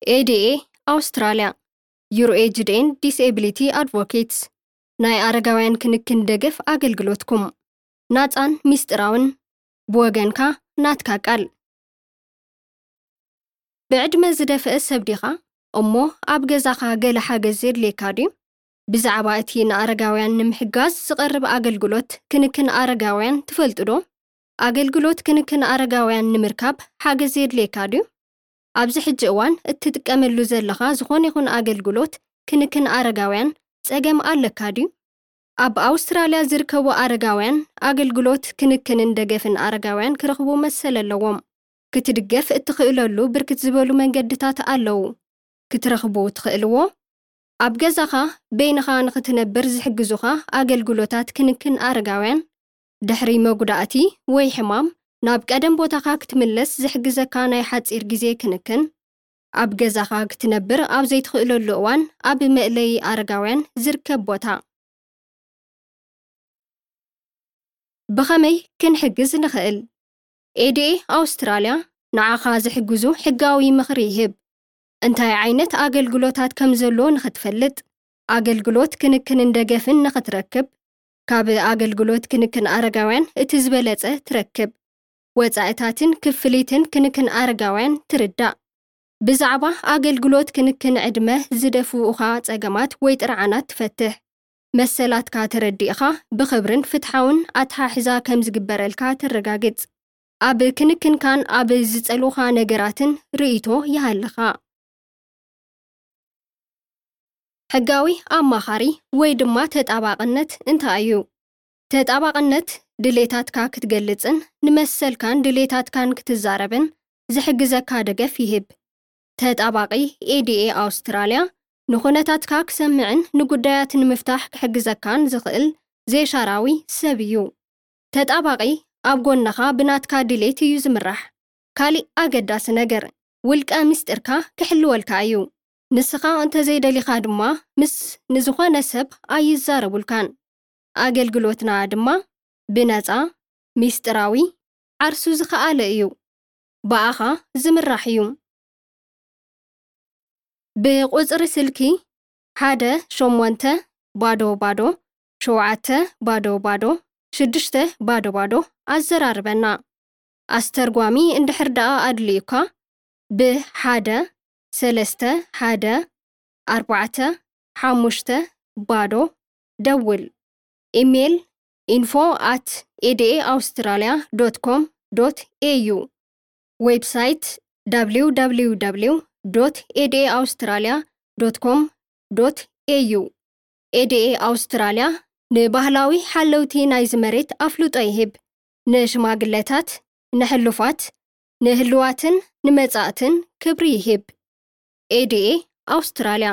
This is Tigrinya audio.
ኤ ዲ ኤ ኣውስትራልያ፣ Your Aged and Disability Advocates፣ ናይ ኣረጋውያን ክንክን ደገፍ ኣገልግሎትኩም። ናጻን ሚስጥራውን፣ ብወገንካ ናትካ ቃል። ብዕድመ ዝደፍአ ሰብ ዲኻ? እሞ ኣብ ገዛኻ ገለ ሓገዝ የድልየካ ድዩ? ብዛዕባ እቲ ንኣረጋውያን ንምሕጋዝ ዝቐርብ ኣገልግሎት ክንክን ኣረጋውያን ትፈልጡ ዶ? ኣገልግሎት ክንክን ኣረጋውያን ንምርካብ ሓገዝ የድልየካ ድዩ? ኣብዚ ሕጂ እዋን እትጥቀመሉ ዘለኻ ዝኾነ ይኹን ኣገልግሎት ክንክን ኣረጋውያን ጸገም ኣለካ ድዩ? ኣብ ኣውስትራልያ ዝርከቡ ኣረጋውያን ኣገልግሎት ክንክንን ደገፍን ኣረጋውያን ክረኽቡ መሰል ኣለዎም። ክትድገፍ እትኽእለሉ ብርክት ዝበሉ መንገድታት ኣለዉ። ክትረኽቡ ትኽእልዎ፣ ኣብ ገዛኻ በይንኻ ንኽትነብር ዝሕግዙኻ ኣገልግሎታት ክንክን ኣረጋውያን፣ ድሕሪ መጉዳእቲ ወይ ሕማም ናብ ቀደም ቦታኻ ክትምለስ ዝሕግዘካ ናይ ሓጺር ግዜ ክንክን፣ ኣብ ገዛኻ ክትነብር ኣብ ዘይትኽእለሉ እዋን ኣብ መእለዪ ኣረጋውያን ዝርከብ ቦታ። ብኸመይ ክንሕግዝ ንኽእል? ኤ ዲ ኤ ኣውስትራልያ ንዓኻ ዝሕግዙ ሕጋዊ ምኽሪ ይህብ። እንታይ ዓይነት ኣገልግሎታት ከም ዘሎ ንኽትፈልጥ፣ ኣገልግሎት ክንክንን ደገፍን ንኽትረክብ፣ ካብ ኣገልግሎት ክንክን ኣረጋውያን እቲ ዝበለጸ ትረክብ። ወጻኢታትን ክፍሊትን ክንክን ኣረጋውያን ትርዳእ። ብዛዕባ ኣገልግሎት ክንክን ዕድመ ዝደፍኡኻ ጸገማት ወይ ጥርዓናት ትፈትሕ። መሰላትካ ተረዲእኻ ብኽብርን ፍትሓውን ኣተሓሕዛ ከም ዝግበረልካ ተረጋግጽ። ኣብ ክንክንካን ኣብ ዝጸልኡኻ ነገራትን ርእይቶ ይሃልኻ። ሕጋዊ ኣማኻሪ ወይ ድማ ተጣባቕነት እንታይ እዩ? ተጣባቕነት ድሌታትካ ክትገልጽን ንመሰልካን ድሌታትካን ክትዛረብን ዝሕግዘካ ደገፍ ይህብ። ተጣባቒ ኤ ዲ ኤ ኣውስትራልያ ንኹነታትካ ክሰምዕን ንጉዳያት ንምፍታሕ ክሕግዘካን ዝኽእል ዘይሻራዊ ሰብ እዩ። ተጣባቒ ኣብ ጎንኻ ብናትካ ድሌት እዩ ዝምራሕ። ካሊእ ኣገዳሲ ነገር፣ ውልቀ ምስጢርካ ክሕልወልካ እዩ። ንስኻ እንተዘይደሊኻ ድማ ምስ ንዝኾነ ሰብ ኣይዛረቡልካን። ኣገልግሎትና ድማ ብነጻ፣ ሚስጥራዊ፣ ዓርሱ ዝኸኣለ እዩ። ብኣኻ ዝምራሕ እዩ። ብቁጽሪ ስልኪ ሓደ ሸሞንተ ባዶ ባዶ ሸውዓተ ባዶ ባዶ ሽዱሽተ ባዶ ባዶ ኣዘራርበና። ኣስተርጓሚ እንድሕር ደኣ ኣድልዩካ፣ ብ ሓደ ሰለስተ ሓደ ኣርባዕተ ሓሙሽተ ባዶ ደውል። ኢሜይል፣ info at A D A Australia dot com dot A U። ዌብሳይት፣ www dot A D A Australia dot com dot A U። ኤ ዲ ኤ ኣውስትራልያ ንባህላዊ ሓለውቲ ናይዚ መሬት ኣፍልጦ ይህብ። ንሽማግለታት፣ ንሕሉፋት፣ ንህልዋትን ንመጻእትን ክብሪ ይህብ። ኤ ዲ ኤ ኣውስትራልያ።